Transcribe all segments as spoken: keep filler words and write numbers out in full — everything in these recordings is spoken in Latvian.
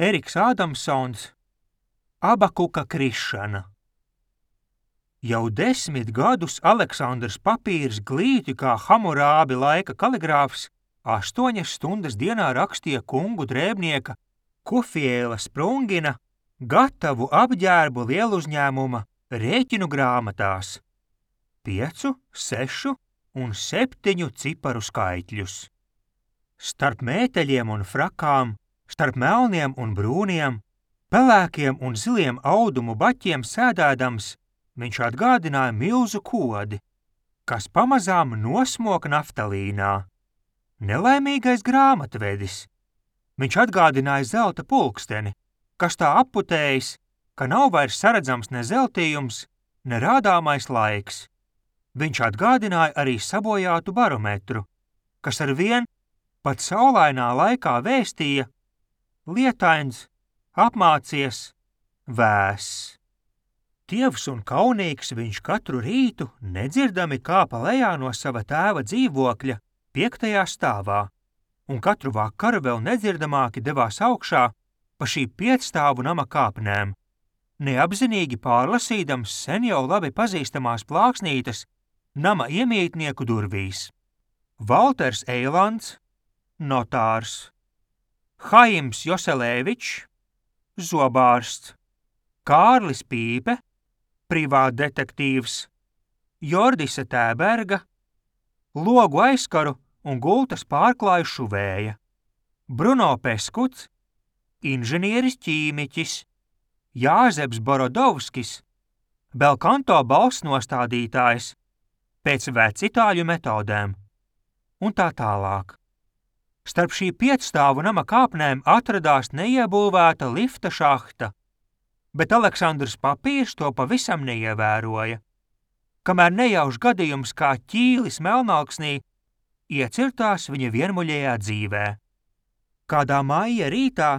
Eriks Ādamsons, Abakuka krišana. Jau desmit gadus Aleksandrs Papīrs glīti kā Hamurābi laika kaligrāfs astoņas stundas dienā rakstīja kungu drēbnieka Kufiela Sprungina gatavu apģērbu lieluzņēmuma rēķinu grāmatās. Piecu, sešu un septiņu ciparu skaitļus. Starp mēteļiem un frakām, starp melniem un brūniem, pelēkiem un ziliem audumu baķiem sēdēdams, viņš atgādināja milzu kodi, kas pamazām nosmok naftalīnā. Nelaimīgais grāmatvedis. Viņš atgādināja zelta pulksteni, kas tā apputējis, ka nav vairs saredzams ne zeltījums, ne rādāmais laiks. Viņš atgādināja arī sabojātu barometru, kas ar vien pat saulainā laikā vēstīja lietains, apmācies, vēss. Tievs un kaunīgs viņš katru rītu nedzirdami kāpa lejā no sava tēva dzīvokļa piektajā stāvā, un katru vakaru vēl nedzirdamāki devās augšā pa šī piecstāvu nama kāpnēm, neapzinīgi pārlasīdams sen jau labi pazīstamās plāksnītes nama iemītnieku durvīs. Valters Eilands, notārs, Haims Joselēvičs, zobārsts, Kārlis Pīpe, privātdetektīvs, Jordise Tēberga, logu aizkaru un gultas pārklāju šuvēja, Bruno Peskuts, inženieris ķīmiķis, Jāzeps Borodovskis, belkanto balss nostādītājs, pēc vecitāļu metodēm, un tā tālāk. Starp šī piecstāvu nama kāpnēm atradās neiebūvēta lifta šahta, bet Aleksandrs Papīrs to pavisam neievēroja, kamēr nejauš gadījums kā ķīlis melnalksnī iecirtās viņa vienmuļējā dzīvē. Kādā maija rītā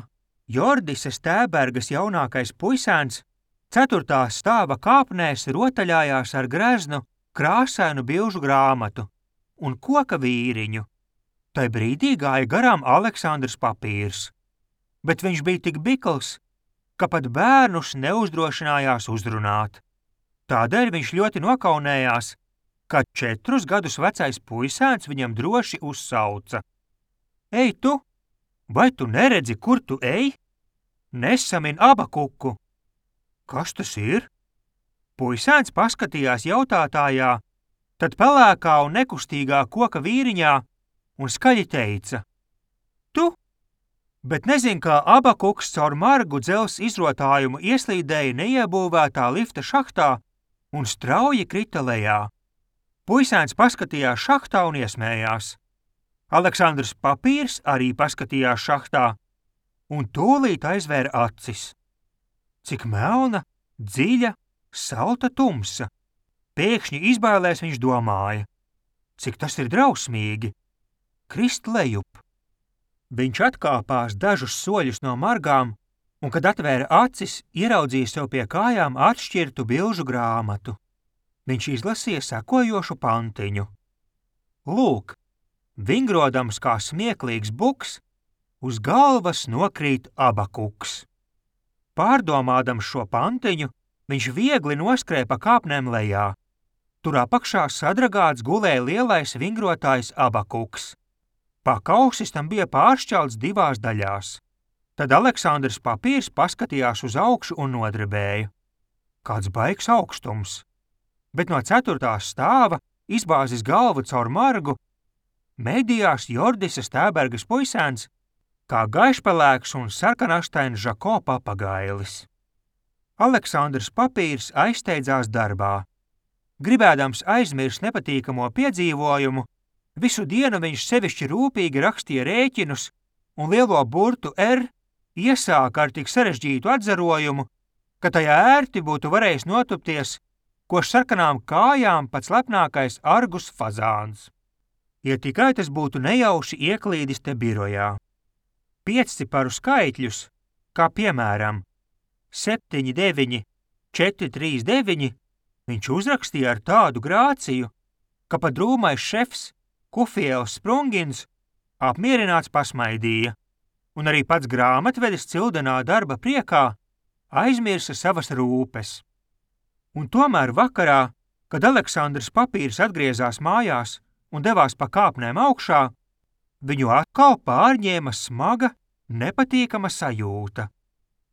Jordises Tēbergas jaunākais puisēns ceturtā stāva kāpnēs rotaļājās ar greznu krāsainu bilžu grāmatu un koka vīriņu. Tai brīdī gāja garām Aleksandrs Papīrs, bet viņš bija tik bikls, ka pat bērnus neuzdrošinājās uzrunāt. Tādēļ viņš ļoti nokaunējās, kad četrus gadus vecais puisēns viņam droši uzsauca. Ei tu, vai tu neredzi, kur tu ej? Nesamin Abakuku. Kas tas ir? Puisēns paskatījās jautātājā, tad pelēkā un nekustīgā koka vīriņā un skaļi teica. Tu? Bet nezin, kā Abakuks caur margu dzels izrotājumu ieslīdēja neiebūvētā lifta šahtā un strauji krita lejā. Puisēns paskatījās šahtā un iesmējās. Aleksandrs Papīrs arī paskatījās šahtā un tūlīt aizvēra acis. Cik melna, dziļa, salta tumsa. Pēkšņi izbailēs viņš domāja. Cik tas ir drausmīgi. Krist lejup. Viņš atkāpās dažus soļus no margām, un, kad atvēra acis, ieraudzīja sev pie kājām atšķirtu bilžu grāmatu. Viņš izlasīja sekojošu pantiņu. Lūk, vingrodams kā smieklīgs buks, uz galvas nokrīt Abakuks. Pārdomādams šo pantiņu, viņš viegli noskrēja pa kāpnēm lejā. Tur apakšā sadragāts gulēja lielais vingrotājs Abakuks. Pakausis tam bija pāršķelts divās daļās. Tad Aleksandrs Papīrs paskatījās uz augšu un nodrebēja. Kāds baigs augstums. Bet no ceturtā stāva, izbāzis galvu caur margu, medījās Jordises Tēbergas puisēns, kā gaišpelēks un sarkanastains Žako papagailis. Aleksandrs Papīrs aizsteidzās darbā. Gribēdams aizmirst nepatīkamo piedzīvojumu, visu dienu viņš sevišķi rūpīgi rakstīja rēķinus un lielo burtu R iesāka ar tik sarežģītu atzarojumu, ka tajā ērti būtu varējis notupties, ko sarkanām kājām pats lepnākais Argus fazāns. Ja tikai tas būtu nejauši ieklīdis te birojā. Piecciparu skaitļus, kā piemēram septiņi, deviņi, četri, trīs, deviņi, viņš uzrakstīja ar tādu grāciju, ka pat drūmais šefs Kufiels Sprungins apmierināts pasmaidīja. un arī pats grāmatvedis cildenā darba priekā aizmirsa savas rūpes. Un tomēr vakarā, kad Aleksandrs Papīrs atgriezās mājās un devās pa kāpnēm augšā, viņu atkal pārņēma smaga, nepatīkama sajūta.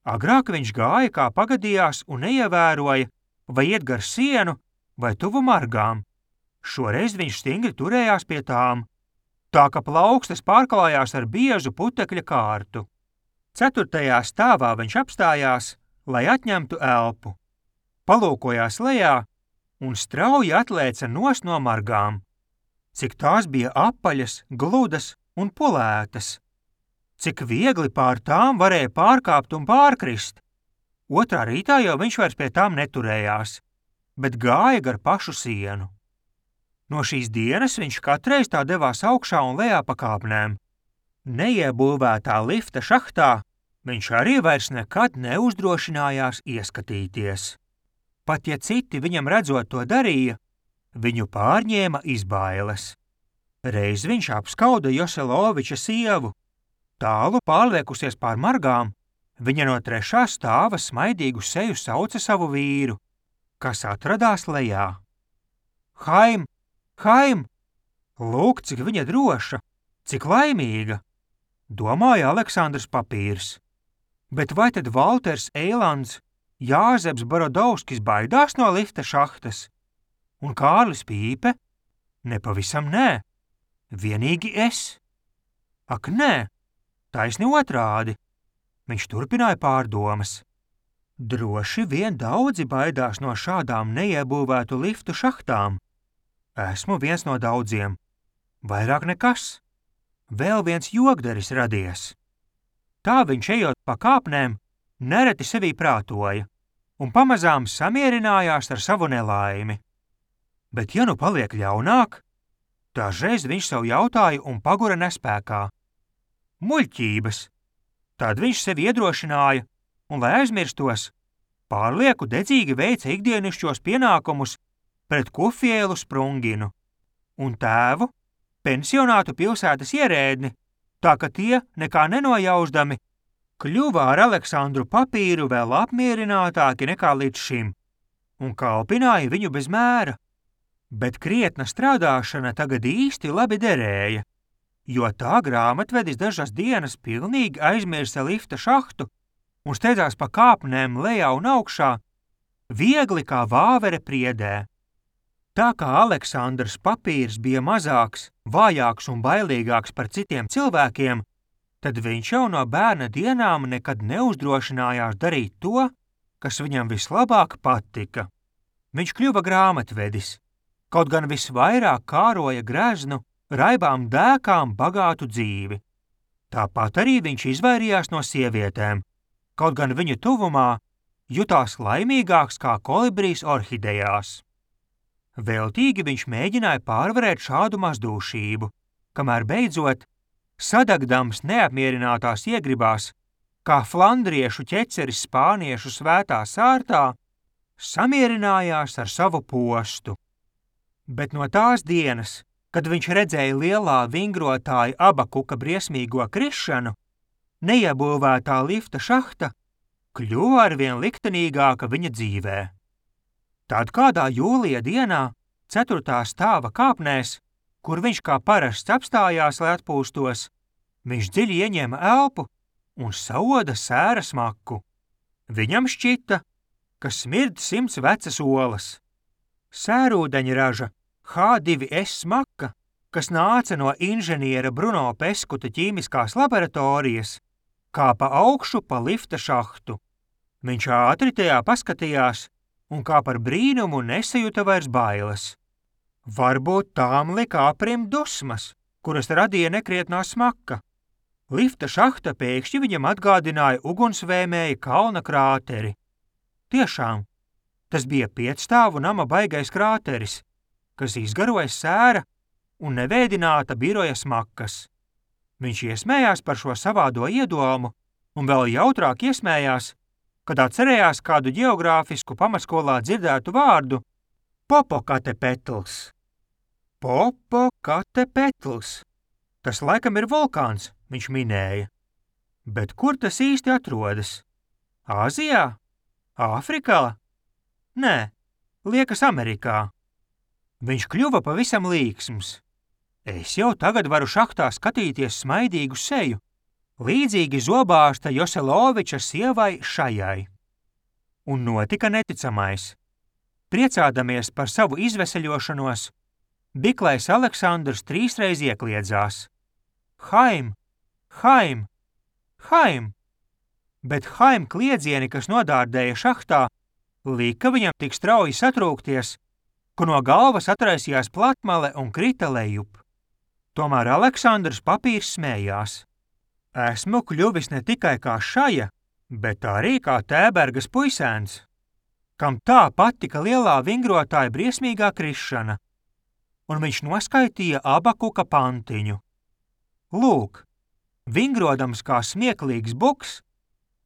Agrāk viņš gāja, kā pagadījās, un neievēroja, vai iet gar sienu, vai tuvu margām. Šoreiz viņš stingri turējās pie tām, tā ka plaukstas pārklājās ar biezu putekļa kārtu. Ceturtajā stāvā viņš apstājās, lai atņemtu elpu. Palūkojās lejā un strauji atlēca nost no margām. Cik tās bija apaļas, gludas un pulētas. Cik viegli pār tām varēja pārkāpt un pārkrist. Otrā rītā jau viņš vairs pie tām neturējās, bet gāja gar pašu sienu. No šīs dienas viņš katreiz tā devās augšā un lejā pa kāpnēm. Neiebūvētā lifta šahtā viņš arī vairs nekad neuzdrošinājās ieskatīties. Pat ja citi viņam redzot to darīja, viņu pārņēma izbailes. Reiz viņš apskauda Joseloviča sievu. Tālu pārliekusies pār margām, viņa no trešā stāva smaidīgu seju sauca savu vīru, kas atradās lejā. Haim, Haim! Lūk, cik viņa droša, cik laimīga, domāja Aleksandrs Papīrs. Bet vai tad Valters Eilands, Jāzeps Borodovskis baidās no lifta šahtas? Un Kārlis Pīpe? Nepavisam nē, vienīgi es. Ak nē, taisni otrādi, viņš turpināja pārdomas. Droši vien daudzi baidās no šādām neiebūvētu liftu šahtām. Esmu viens no daudziem, vairāk nekas. Vēl viens jogdaris radies. Tā viņš ejot pa kāpnēm, nereti sevī prātoja un pamazām samierinājās ar savu nelaimi. Bet ja nu paliek ļaunāk, dažreiz viņš sev jautāja un pagura nespēkā. Muļķības. Tad viņš sevi iedrošināja un, lai aizmirstos, pārlieku dedzīgi veica ikdienišķos pienākumus pret Kufielu Sprunginu un tēvu, pensionātu pilsētas ierēdni, tā ka tie, nekā nenojausdami, kļuva ar Aleksandru Papīru vēl apmierinātāki nekā līdz šim un kalpināja viņu bez mēra. Bet krietna strādāšana tagad īsti labi derēja, jo tā grāmatvedis dažas dienas pilnīgi aizmirsa lifta šahtu un steidzās pa kāpnēm lejā un augšā, viegli kā vāvere priedē. Tā kā Aleksandrs Papīrs bija mazāks, vājāks un bailīgāks par citiem cilvēkiem, tad viņš jau no bērna dienām nekad neuzdrošinājās darīt to, kas viņam vislabāk patika. Viņš kļuva grāmatvedis, kaut gan visvairāk kāroja greznu, raibām dēkām bagātu dzīvi. Tāpat arī viņš izvairījās no sievietēm, kaut gan viņu tuvumā jutās laimīgāks kā kolibrijs orhidejās. Veltīgi viņš mēģināja pārvarēt šādu mazdūšību, kamēr beidzot, sadagdams neapmierinātās iegribās, kā flandriešu ķeceris spāniešu svētā sārtā, samierinājās ar savu postu. Bet no tās dienas, kad viņš redzēja lielā vingrotāja Abakuka briesmīgo krišanu, neiebūvētā lifta šahta kļuva arvien liktenīgāka viņa dzīvē. Tad kādā jūlija dienā, ceturtā stāva kāpnēs, kur viņš kā parasts apstājās, lai atpūstos, viņš dziļi ieņēma elpu un saoda sēra smaku. Viņam šķita, ka smird simts vecas olas. Sērūdeņraža H divi S smaka, kas nāca no inženiera Bruno Peskuta ķīmiskās laboratorijas, kāpa augšu pa lifta šahtu. Viņš ātri tajā paskatījās un kā par brīnumu nesajuta vairs bailes. Varbūt tām lika aprimt dusmas, kuras radīja nekrietnā smaka. Lifta šahta pēkšņi viņam atgādināja ugunsvēmēja kalna krāteri. Tiešām, tas bija piecstāvu nama baigais krāteris, kas izgaroja sēra un nevēdināta biroja smakas. Viņš iesmējās par šo savādo iedomu un vēl jautrāk iesmējās, kad atcerējās kādu ģeogrāfisku pamatskolā dzirdētu vārdu Popokatepetls. Popokatepetls. Tas laikam ir vulkāns, viņš minēja. Bet kur tas īsti atrodas? Āzijā? Āfrikā? Nē, liekas Amerikā. Viņš kļuva pavisam līksms. Es jau tagad varu šahtā skatīties smaidīgu seju, līdzīgi zobārsta Joseloviča sievai Šajai. Un notika neticamais. Priecādamies par savu izveseļošanos, Biklais Aleksandrs trīsreiz iekliedzās. Haim, Haim, Haim! Bet Haim kliedzieni, kas nodārdēja šahtā, lika viņam tik strauji satrūkties, ka no galvas atraisījās platmale un krita lejup. Tomēr Aleksandrs Papīrs smējās. Esmu kļuvis ne tikai kā Šaja, bet arī kā Tēbergas puisēns, kam tā patika lielā vingrotāja briesmīgā krišana, un viņš noskaitīja Abakuka pantiņu. Lūk, vingrodams kā smieklīgs buks,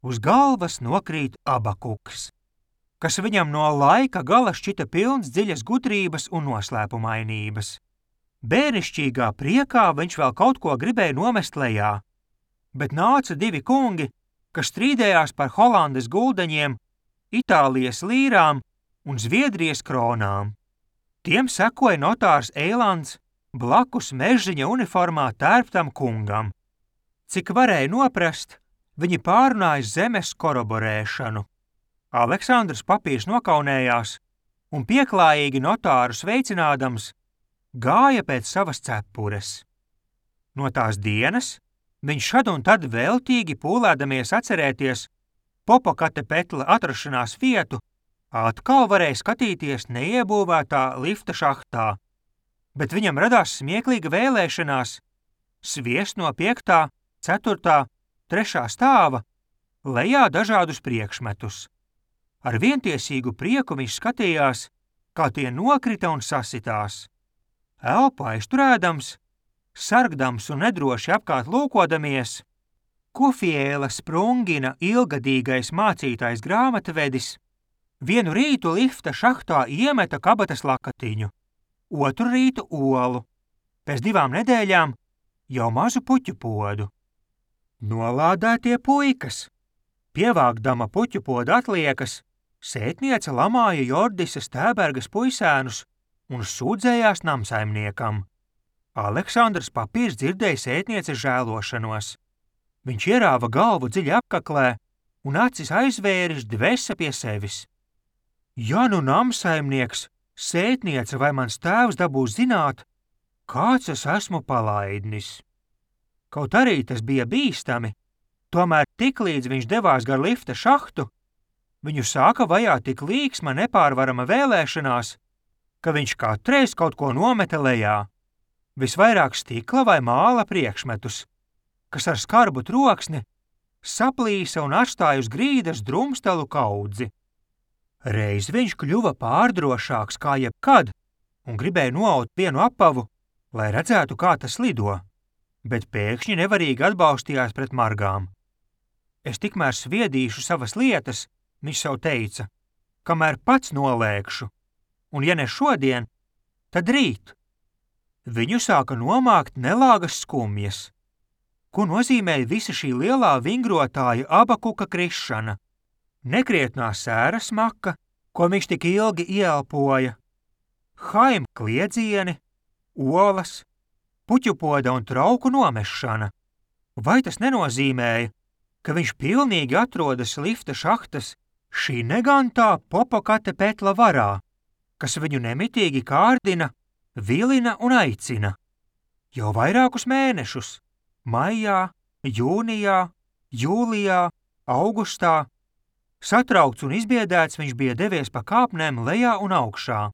uz galvas nokrīt Abakuks, kas viņam no laika gala šķita pilns dziļas gudrības un noslēpumainības. Bērnišķīgā priekā viņš vēl kaut ko gribēja nomest lejā, bet nāca divi kungi, kas strīdējās par Holandes guldeņiem, Itālijas līrām un Zviedrijas kronām. Tiem sekoja notārs Eilands blakus mežziņa uniformā tērptam kungam. Cik varēja noprast, viņi pārunāja zemes koroborēšanu. Aleksandrs Papīrs nokaunējās un pieklājīgi notāru sveicinādams gāja pēc savas cepures. No tās dienas viņš šad un tad veltīgi pūlēdamies atcerēties Popokatepetla atrašanās vietu, atkal varēja skatīties neiebūvētā lifta šahtā, bet viņam radās smieklīga vēlēšanās sviest no piektā, ceturtā, trešā stāva lejā dažādus priekšmetus. Ar vientiesīgu prieku viņš skatījās, kā tie nokrita un sasitās. Elpu aizturēdams, sargdams un nedroši apkārt lūkodamies, Kofiēla Sprungina ilgadīgais mācītājs grāmatvedis vienu rītu lifta šahtā iemeta kabatas lakatiņu, otru rītu olu, pēc divām nedēļām jau mazu puķu podu. Nolādētie puikas. Pievākdama puķu podu atliekas, sētniece lamāja Jordisas Tēbergas puisēnus un sūdzējās namsaimniekam. Aleksandrs Papīrs dzirdēja sētnieces žēlošanos. Viņš ierāva galvu dziļi apkaklē un acis aizvēris dvesa pie sevis. Ja nu namsaimnieks, sētniece vai mans tēvs dabūs zināt, kāds es esmu palaidnis. Kaut arī tas bija bīstami, tomēr tiklīdz viņš devās gar lifta šahtu, viņu sāka vajāt tik līksma nepārvarama vēlēšanās, ka viņš katreiz kaut ko nometa lejā, visvairāk stikla vai māla priekšmetus, kas ar skarbu troksni saplīsa un atstāja uz grīdas drumstelu kaudzi. Reiz viņš kļuva pārdrošāks kā jebkad un gribēja noaut vienu apavu, lai redzētu, kā tas lido, bet pēkšņi nevarīgi atbalstījās pret margām. Es tikmēr sviedīšu savas lietas, viņš sev teica, kamēr pats nolēkšu, un ja ne šodien, tad rīt. Viņu sāka nomākt nelāgas skumjas. Ko nozīmēja visa šī lielā vingrotāja Abakuka krišana? Nekrietnā sēra smaka, ko viņš tik ilgi ieelpoja, Haim kliedzieni, olas, puķupoda un trauku nomešana. Vai tas nenozīmēja, ka viņš pilnīgi atrodas lifta šahtas šī negantā Popokatepetla varā, kas viņu nemitīgi kārdina, vilina un aicina? Jau vairākus mēnešus. Maijā, jūnijā, jūlijā, augustā. Satraukts un izbiedēts viņš bija devies pa kāpnēm lejā un augšā.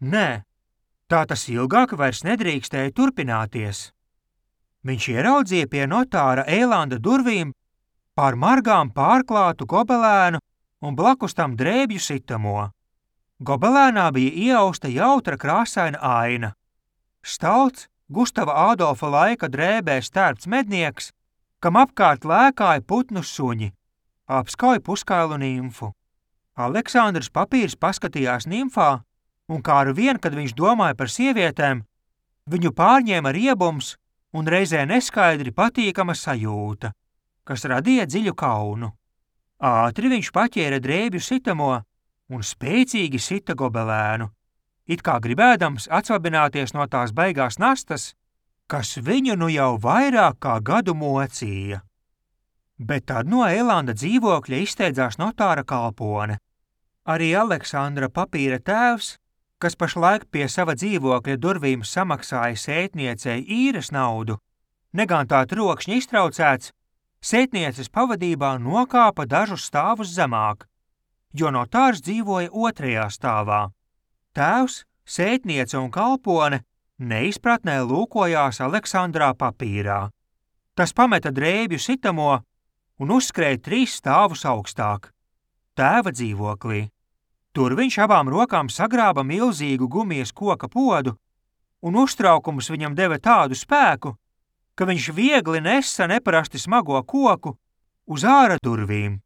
Nē, tā tas ilgāk vairs nedrīkstēja turpināties. Viņš ieraudzīja pie notāra Eilanda durvīm pār margām pārklātu gobelēnu un blakus tam drēbju sitamo. Gobelēnā bija iausta jautra krāsaina aina. Stalts, Gustava Ādolfa laika drēbē stērpts mednieks, kam apkārt lēkāja putnu suņi, apskauj puskailu nimfu. Aleksandrs Papīrs paskatījās nimfā, un kā ar vien, kad viņš domāja par sievietēm, viņu pārņēma riebums un reizē neskaidri patīkama sajūta, kas radīja dziļu kaunu. Ātri viņš paķēra drēbju sitamo un spēcīgi sita gobelēnu, it kā gribēdams atsvabināties no tās baigās nastas, kas viņu nu jau vairāk kā gadu mocīja. Bet tad no Eilanda dzīvokļa izsteidzās notāra kalpone. Arī Aleksandra Papīra tēvs, kas pašlaik pie sava dzīvokļa durvīm samaksāja sētniecei īres naudu, negan tā trokšņi iztraucēts, sētnieces pavadībā nokāpa dažus stāvus zemāk, jo notārs dzīvoja otrajā stāvā. Tēvs, sētniece un kalpone neizpratnē lūkojās Aleksandrā Papīrā. Tas pameta drēbju sitamo un uzskrēja trīs stāvus augstāk, tēva dzīvoklī. Tur viņš abām rokām sagrāba milzīgu gumijas koka podu, un uztraukums viņam deva tādu spēku, ka viņš viegli nesa neparasti smago koku uz āra durvīm.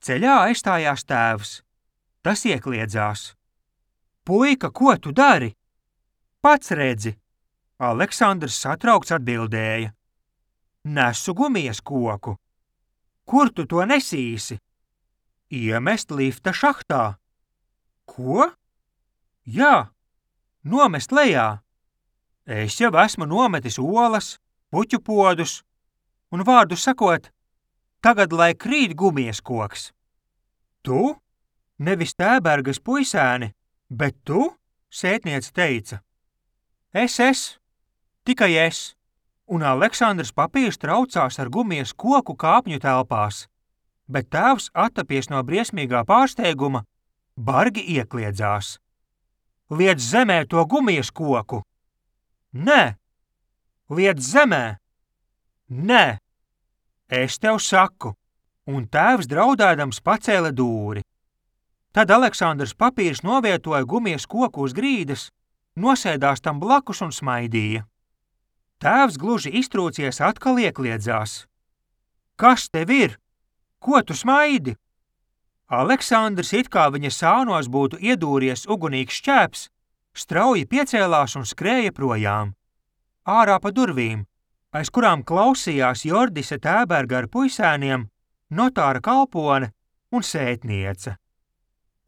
Ceļā aizstājās tēvs. Tas iekliedzās. Puika, ko tu dari? Pats redzi, Aleksandrs satraukts atbildēja. Nesu gumijas koku. Kur tu to nesīsi? Iemest lifta šahtā. Ko? Jā, nomest lejā. Es jau esmu nometis olas, puķu podus, un vārdu sakot, tagad lai krīt gumijas koks. Tu? Nevis Tēbergas puisēni, bet tu? Sētniece teica. Es, es, tikai es, un Aleksandrs Papīrs traucās ar gumijas koku kāpņu telpās, bet tēvs attapies no briesmīgā pārsteiguma, bargi iekliedzās. Liec zemē to gumijas koku! Nē! Liec zemē! Nē! Es tev saku! Un tēvs draudēdams pacēla dūri. Tad Aleksandrs Papīrs novietoja gumijas koku uz grīdas, nosēdās tam blakus un smaidīja. Tēvs gluži iztrūcies atkal iekliedzās. Kas tev ir? Ko tu smaidi? Aleksandrs, it kā viņa sānos būtu iedūries ugunīgs šķēps, strauji piecēlās un skrēja projām. Ārā pa durvīm, aiz kurām klausījās Jordise Tēberga ar puisēniem, notāra kalpone un sētniece.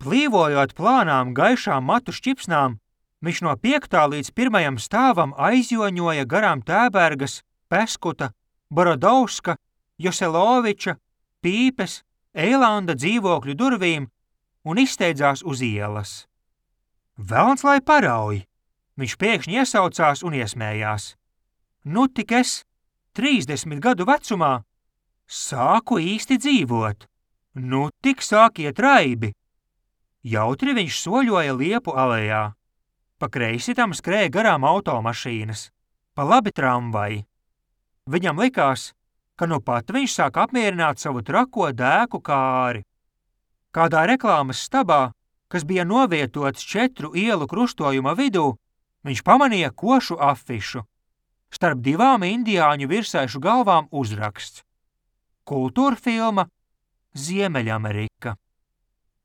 Plīvojot plānām gaišām matu šķipsnām, viņš no piektā līdz pirmajam stāvam aizjoņoja garām Tēbergas, Peskuta, Borodovska, Joseloviča, Pīpes, Eilanda dzīvokļu durvīm un izsteidzās uz ielas. Velns lai parauj! Viņš pēkšņi iesaucās un iesmējās. Nu tik es, trīsdesmit gadu vecumā, sāku īsti dzīvot. Nu tik sāk iet raibi. Jautri viņš soļoja Liepu alejā. Pa kreisi tam skrēja garām automašīnas, pa labi tramvaji. Viņam likās, ka nu pat viņš sāk apmierināt savu trako dēku kāri. Kādā reklāmas stabā, kas bija novietots četru ielu krustojuma vidū, viņš pamanīja košu afišu. Starp divām indiāņu virsaišu galvām uzraksts. Kultūrfilma Ziemeļamerika.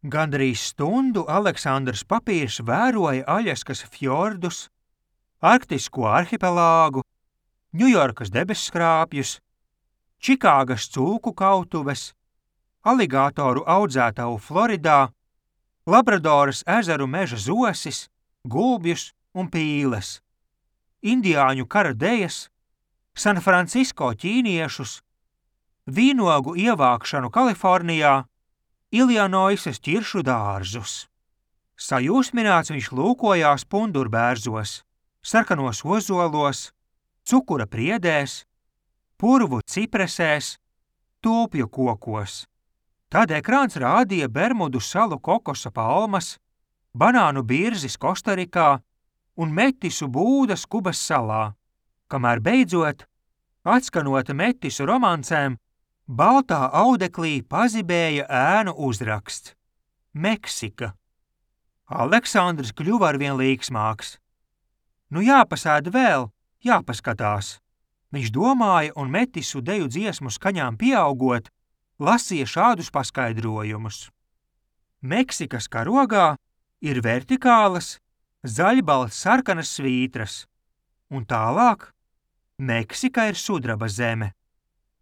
Gandrīz stundu Aleksandrs Papīrs vēroja Aļaskas fjordus, Arktisko arhipelāgu, Ņujorkas debesskrāpjus, Čikāgas cūku kautuves, aligātoru audzētavu Floridā, Labradoras ezeru meža zosis, gulbjus un pīles, indiāņu kara dejas, San Francisko ķīniešus, vīnogu ievākšanu Kalifornijā, Iljanoisas ķiršu dārzus. Sajūsmināts viņš lūkojās pundurbērzos, sarkanos ozolos, cukura priedēs, purvu cipresēs, tulpju kokos. Tad ekrāns rādīja Bermudu salu kokosa palmas, banānu birzis Kostarikā un metisu būdas Kubas salā, kamēr beidzot, atskanot metisu romancēm, baltā audeklī pazibēja ēnu uzraksts – Meksika. Aleksandrs kļuva arvien līksmāks. Nu jāpasēd vēl, jāpaskatās. Viņš domāja un metisu deju dziesmu skaņām pieaugot, lasīja šādus paskaidrojumus. Meksikas karogā ir vertikālas, zaļbalts sarkanas svītras, un tālāk Meksika ir sudraba zeme.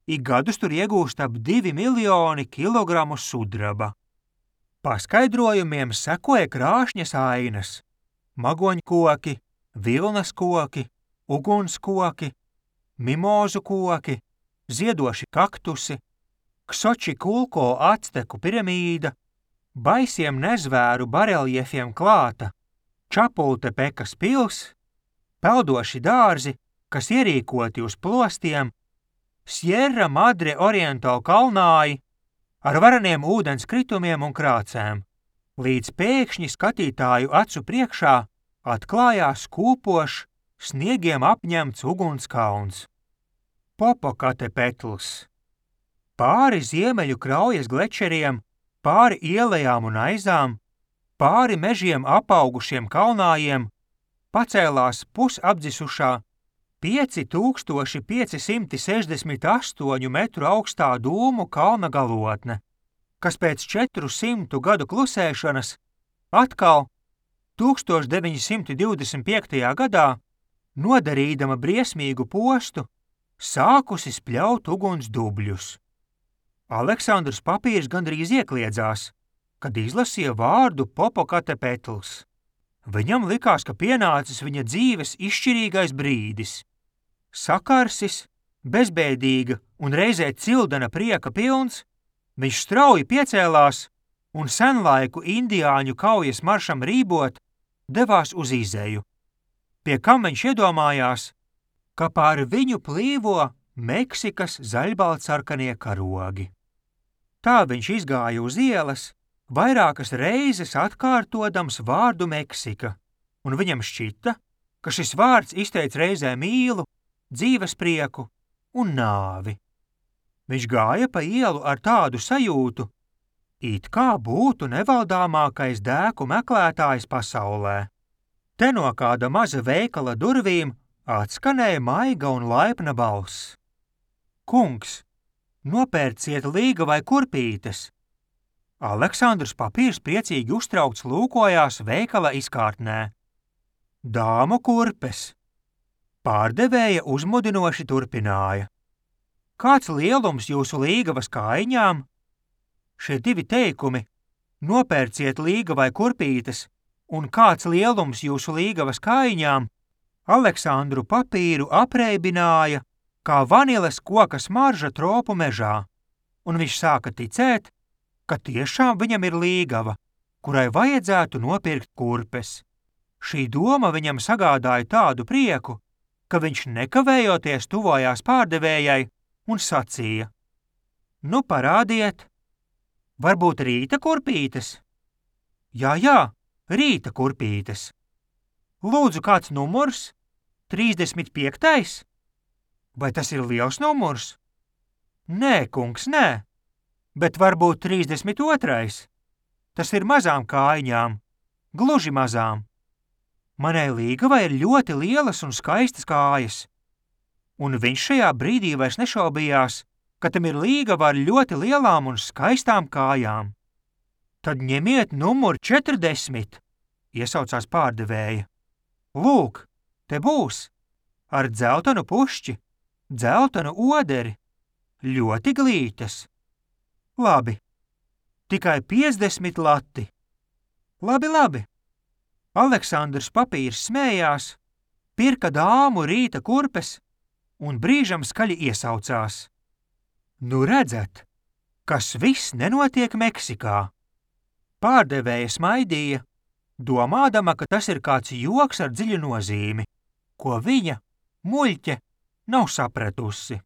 ik gadus tur iegūst ap divi miljoni kilogramu sudraba. Paskaidrojumiem sekoja krāšņas ainas, magoņkoki, vilnas koki, ugunskoki, mimozu koki, ziedoši kaktusi, Ksočikulko acteku piramīda, baisiem nezvēru bareljefiem klāta, Čapultepekas pils, peldoši dārzi, kas ierīkoti uz plostiem, Sierra Madre Oriental kalnāji ar varaniem ūdens kritumiem un krācēm, līdz pēkšņi skatītāju acu priekšā atklājās kūpošs, sniegiem apņemts ugunskalns. Popokatepetls. Pāri ziemeļu kraujas glečeriem, pāri ielejām un aizām, pāri mežiem apaugušiem kalnājiem, pacēlās pusapdzisušā pieci tūkstoši pieci simti sešdesmit astoņu metru augstā dūmu kalna galotne, kas pēc četru simtu gadu klusēšanas atkal tūkstoš deviņi simti divdesmit piektajā gadā, nodarīdama briesmīgu postu, sākusi spļaut uguns dubļus. Aleksandrs Papīrs gandrīz iekliedzās, kad izlasīja vārdu Popokatepetls. Viņam likās, ka pienācis viņa dzīves izšķirīgais brīdis. Sakarsis, bezbēdīga un reizē cildena prieka pilns, viņš strauji piecēlās un senlaiku indiāņu kaujas maršam rībot devās uz izeju, pie kam viņš iedomājās, ka pār viņu plīvo Meksikas zaļbaltsarkanie karogi. Tā viņš izgāja uz ielas, vairākas reizes atkārtodams vārdu Meksika, un viņam šķita, ka šis vārds izteica reizē mīlu, dzīves prieku un nāvi. Viņš gāja pa ielu ar tādu sajūtu, it kā būtu nevaldāmākais dēku meklētājs pasaulē. Te no kāda maza veikala durvīm atskanēja maiga un laipna balss. Kungs, nopērciet līga vai kurpītes. Aleksandrs Papīrs priecīgi uztraukts lūkojās veikala izkārtnē. Dāmu kurpes. Pārdevēja uzmudinoši turpināja. Kāds lielums jūsu līgavas kājiņām? Šie divi teikumi, nopērciet līga vai kurpītes, un kāds lielums jūsu līgavas kājiņām, Aleksandru Papīru apreibināja, kā vaniles koka smarža tropu mežā, un viņš sāka ticēt, ka tiešām viņam ir līgava, kurai vajadzētu nopirkt kurpes. Šī doma viņam sagādāja tādu prieku, ka viņš nekavējoties tuvojās pārdevējai un sacīja: Nu, parādiet, varbūt rīta kurpītes? Jā, jā, rīta kurpītes. Lūdzu, kāds numurs? trīsdesmit piektais? Vai tas ir liels numurs? Nē, kungs, nē, bet varbūt trīsdesmit otrais. Tas ir mazām kājiņām, gluži mazām. Manai līgavai ir ļoti lielas un skaistas kājas. Un viņš šajā brīdī vairs nešaubījās, ka tam ir līgava ar ļoti lielām un skaistām kājām. Tad ņemiet numuru četrdesmit, iesaucās pārdevēja. Lūk, te būs, ar dzeltenu pušķi, dzeltenu oderi, ļoti glītas. Labi, tikai piecdesmit lati. Labi, labi. Aleksandrs Papīrs smējās, pirka dāmu rīta kurpes un brīžam skaļi iesaucās. Nu redzat, kas viss nenotiek Meksikā. Pārdevēja smaidīja, domādama, ka tas ir kāds joks ar dziļu nozīmi, ko viņa, muļķe, nav sapratusi.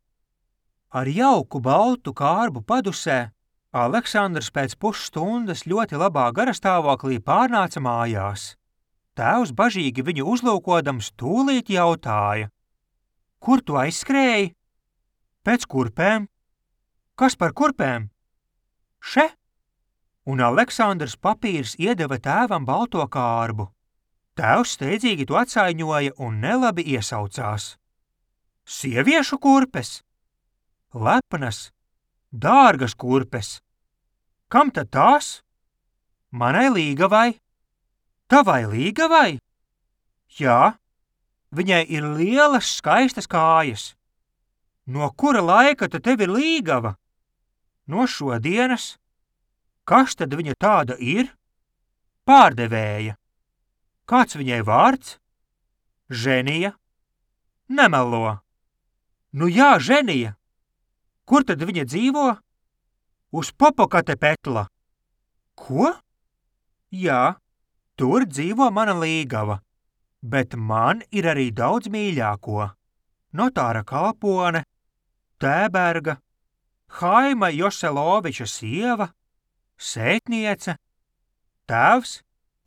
Ar jauku baltu kārbu padusē Aleksandrs pēc pusstundas ļoti labā garastāvoklī pārnāca mājās. Tēvs bažīgi viņu uzlūkodams tūlīt jautāja: Kur tu aizskrēji? Pēc kurpēm. Kas par kurpēm? Še? Un Aleksandrs Papīrs iedeva tēvam balto kārbu. Tēvs steidzīgi to atsaiņoja un nelabi iesaucās. Sieviešu kurpes? Lepnas, dārgas kurpes. Kam tad tās? Manai līgavai. Tavai līgavai? Jā, viņai ir lielas, skaistas kājas. No kura laika tad tev ir līgava? No šodienas. Kas tad viņa tāda ir? Pārdevēja. Kāds viņai vārds? Ženija. Nemelo. Nu jā, Ženija. Kur tad viņa dzīvo? Uz Popokatepetla. Ko? Jā, tur dzīvo mana līgava, bet man ir arī daudz mīļāko. Notāra kalpone, Tēberga, Haima Joseloviča sieva, sētniece, tēvs,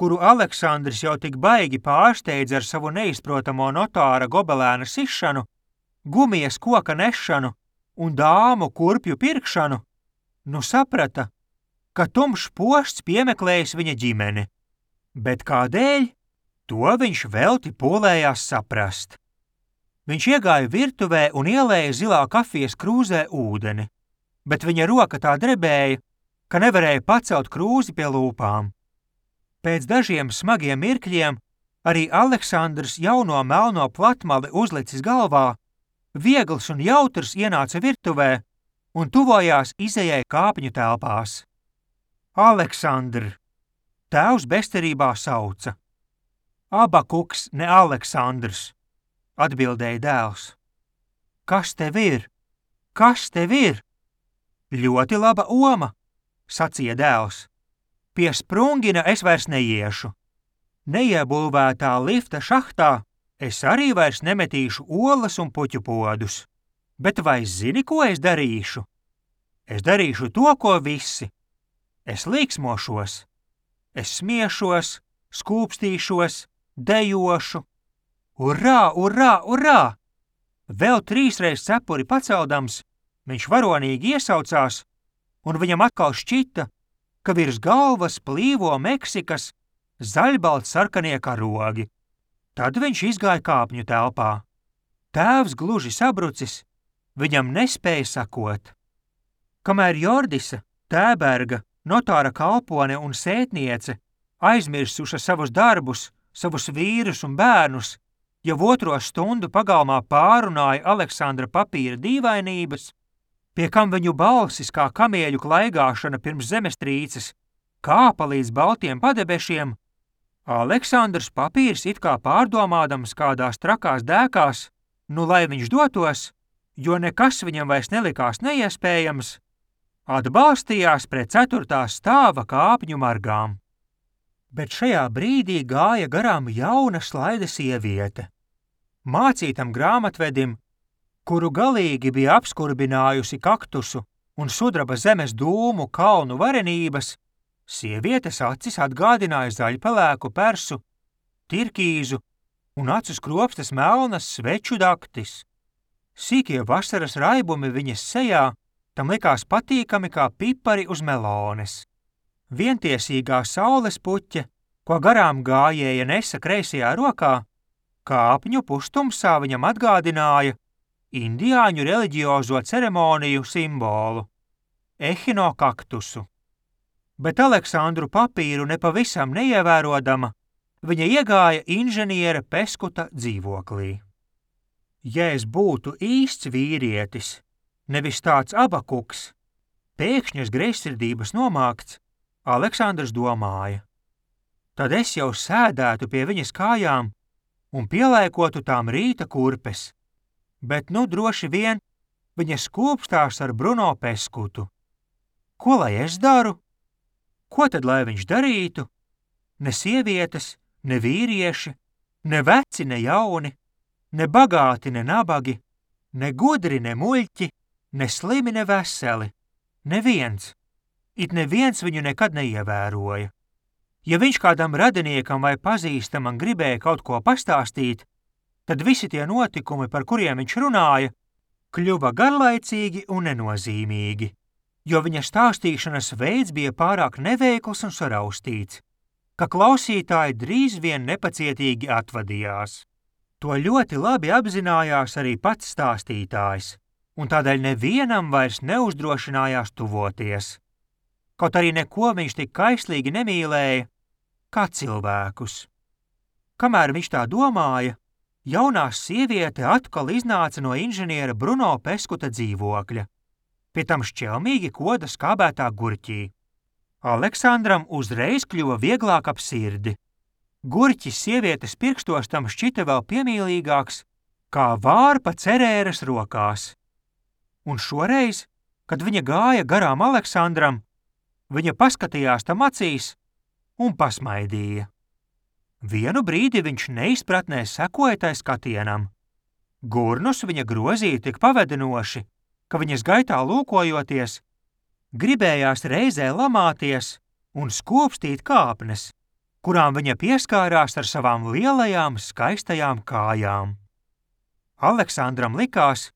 kuru Aleksandrs jau tik baigi pārsteidz ar savu neizprotamo notāra gobelēna sišanu, gumijas koka nešanu un dāmu kurpju pirkšanu, nu saprata, ka tumšs pošts piemeklējis viņa ģimeni, bet kādēļ, to viņš velti pūlējās saprast. Viņš iegāja virtuvē un ielēja zilā kafijas krūzē ūdeni, bet viņa roka tā drebēja, ka nevarēja pacelt krūzi pie lūpām. Pēc dažiem smagiem mirkļiem arī Aleksandrs jauno melno platmali uzlicis galvā, viegls un jautrs ienāca virtuvē un tuvojās izejai kāpņu telpās. Aleksandr! Tēvs bezcerībā sauca. Abakuks, ne Aleksandrs, atbildēja dēls. Kas tev ir? Kas tev ir? Ļoti laba oma, sacīja dēls. Pie Sprungina es vairs neiešu. Neiebūvētā lifta šahtā es arī vairs nemetīšu olas un puķu podus. Bet vai zini, ko es darīšu? Es darīšu to, ko visi. Es līksmošos. Es smiešos, skūpstīšos, dejošu. Urā, urā, urā! Vēl trīsreiz cepuri paceldams, viņš varonīgi iesaucās, un viņam atkal šķita, ka virs galvas plīvo Meksikas zaļbalts sarkanie karogi. Tad viņš izgāja kāpņu telpā. Tēvs gluži sabrucis, viņam nespēja sakot. Kamēr Jordisa, Tēberga, notāra kalpone un sētniece aizmirsuša savus darbus, savus vīrus un bērnus, jau otro stundu pagalmā pārunāja Aleksandra papīra dīvainības, pie kam viņu balsis kā kamieļu klaigāšana pirms zemestrīces kāpa līdz baltiem padebešiem, Aleksandrs papīrs it kā pārdomādams kādās trakās dēkās, nu lai viņš dotos, jo nekas viņam vairs nelikās neiespējams, atbalstījās pret ceturtās stāva kāpņu margām. Bet šajā brīdī gāja garām jauna slaida sieviete. Mācītam grāmatvedim, kuru galīgi bija apskurbinājusi kaktusu un sudraba zemes dūmu kalnu varenības, sievietes acis atgādināja zaļpelēku persu, tirkīzu un acu skropstas melnas sveču daktis. Sīkie vasaras raibumi viņas sejā tam likās patīkami kā pipari uz melones. Vientiesīgā saules puķe, ko garām gājēja nesa kreisajā rokā, kāpņu pustumsā viņam atgādināja indiāņu reliģiozo ceremoniju simbolu – ehinokaktusu. Bet Aleksandru papīru nepavisam neievērodama, viņa iegāja inženiera Peskuta dzīvoklī. Ja es būtu īsts vīrietis, nevis tāds abakuks, pēkšņas greizsirdības nomākts, Aleksandrs domāja. Tad es jau sēdētu pie viņas kājām un pielēkotu tām rīta kurpes, bet nu droši vien viņa skūpstās ar Bruno Peskutu. Ko lai es daru? Ko tad lai viņš darītu? Ne sievietes, ne vīrieši, ne veci, ne jauni, ne bagāti, ne nabagi, ne gudri, ne muļķi, ne slimi, ne veseli, neviens. It neviens viņu nekad neievēroja. Ja viņš kādam radiniekam vai pazīstamam gribēja kaut ko pastāstīt, tad visi tie notikumi, par kuriem viņš runāja, kļuva garlaicīgi un nenozīmīgi, jo viņa stāstīšanas veids bija pārāk neveikls un saraustīts, ka klausītāji drīz vien nepacietīgi atvadījās. To ļoti labi apzinājās arī pats stāstītājs, un tādēļ nevienam vairs neuzdrošinājās tuvoties. Kaut arī neko viņš tik kaislīgi nemīlēja, kā cilvēkus. Kamēr viņš tā domāja, jaunā sieviete atkal iznāca no inženiera Bruno Peskuta dzīvokļa, pie tam šķelmīgi koda skābētā gurķī. Aleksandram uzreiz kļuva vieglāk ap sirdi. Gurķis sievietes pirkstos tam šķita vēl piemīlīgāks, kā vārpa cerēras rokās. Un šoreiz, kad viņa gāja garām Aleksandram, viņa paskatījās tam acīs un pasmaidīja. Vienu brīdi viņš neizpratnē sekoja tai skatienam. Gurnus viņa grozīja tik pavedinoši, ka viņas gaitā lūkojoties, gribējās reizē lamāties un skopstīt kāpnes, kurām viņa pieskārās ar savām lielajām, skaistajām kājām. Aleksandram likās,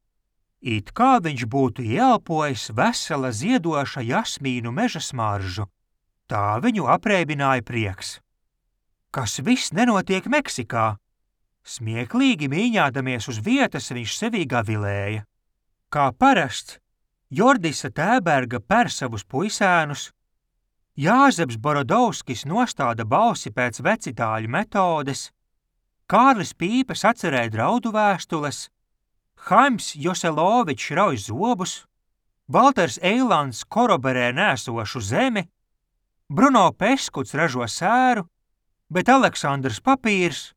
it kā viņš būtu ieelpojis vesela ziedoša jasmīnu meža smaržu. Tā viņu apreibināja prieks. Kas viss nenotiek Meksikā? Smieklīgi mīņādamies uz vietas viņš sevī gavilēja. Kā parasts, Jordisa Tēberga per savus puisēnus, Jāzeps Borodovskis nostāda balsi pēc vecitāļu metodes, Kārlis Pīpes atcerēja draudu vēstules, Haims Joselovičs rauj zobus, Valters Eilands koroberē nēsošu zemi, Bruno Peskuts ražo sēru, bet Aleksandrs papīrs,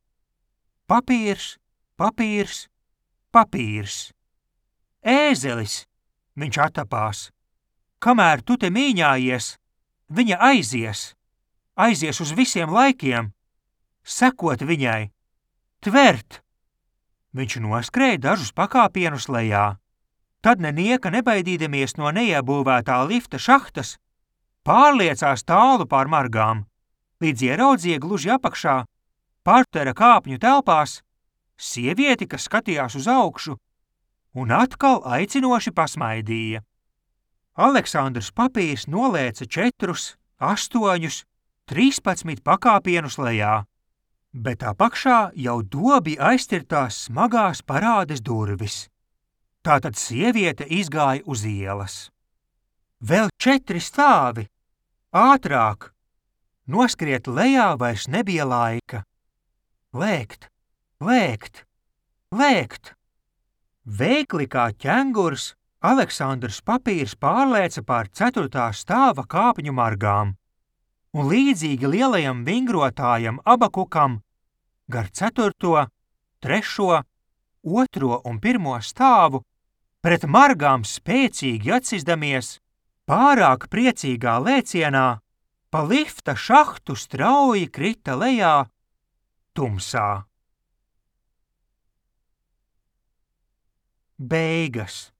papīrs, papīrs, papīrs. Ēzelis, viņš atapās. Kamēr tu te mīņājies, viņa aizies, aizies uz visiem laikiem, sekot viņai, tvert. Viņš noskrēja dažus pakāpienus lejā. Tad nenieka nebaidīdamies no neiebūvētā lifta šahtas, pārliecās tālu pār margām, līdz ieraudzīja gluži apakšā, partera kāpņu telpās, sievieti, kas skatījās uz augšu, un atkal aicinoši pasmaidīja. Aleksandrs papīrs nolēca četrus, astoņus, trīspadsmit pakāpienus lejā, bet apakšā jau dobi aiztirtās smagās parādes durvis. Tātad sieviete izgāja uz ielas. Vēl četri stāvi, ātrāk, noskriet lejā vairs nebija laika. Lēkt, lēkt, lēkt. Veikli kā ķengurs, Aleksandrs papīrs pārlēca pār ceturtā stāva kāpņu margām, un līdzīgi lielajam vingrotājam Abakukam gar ceturto, trešo, otro un pirmo stāvu pret margām spēcīgi atsizdamies, pārāk priecīgā lēcienā, pa lifta šahtu strauji krita lejā tumsā. Beigas.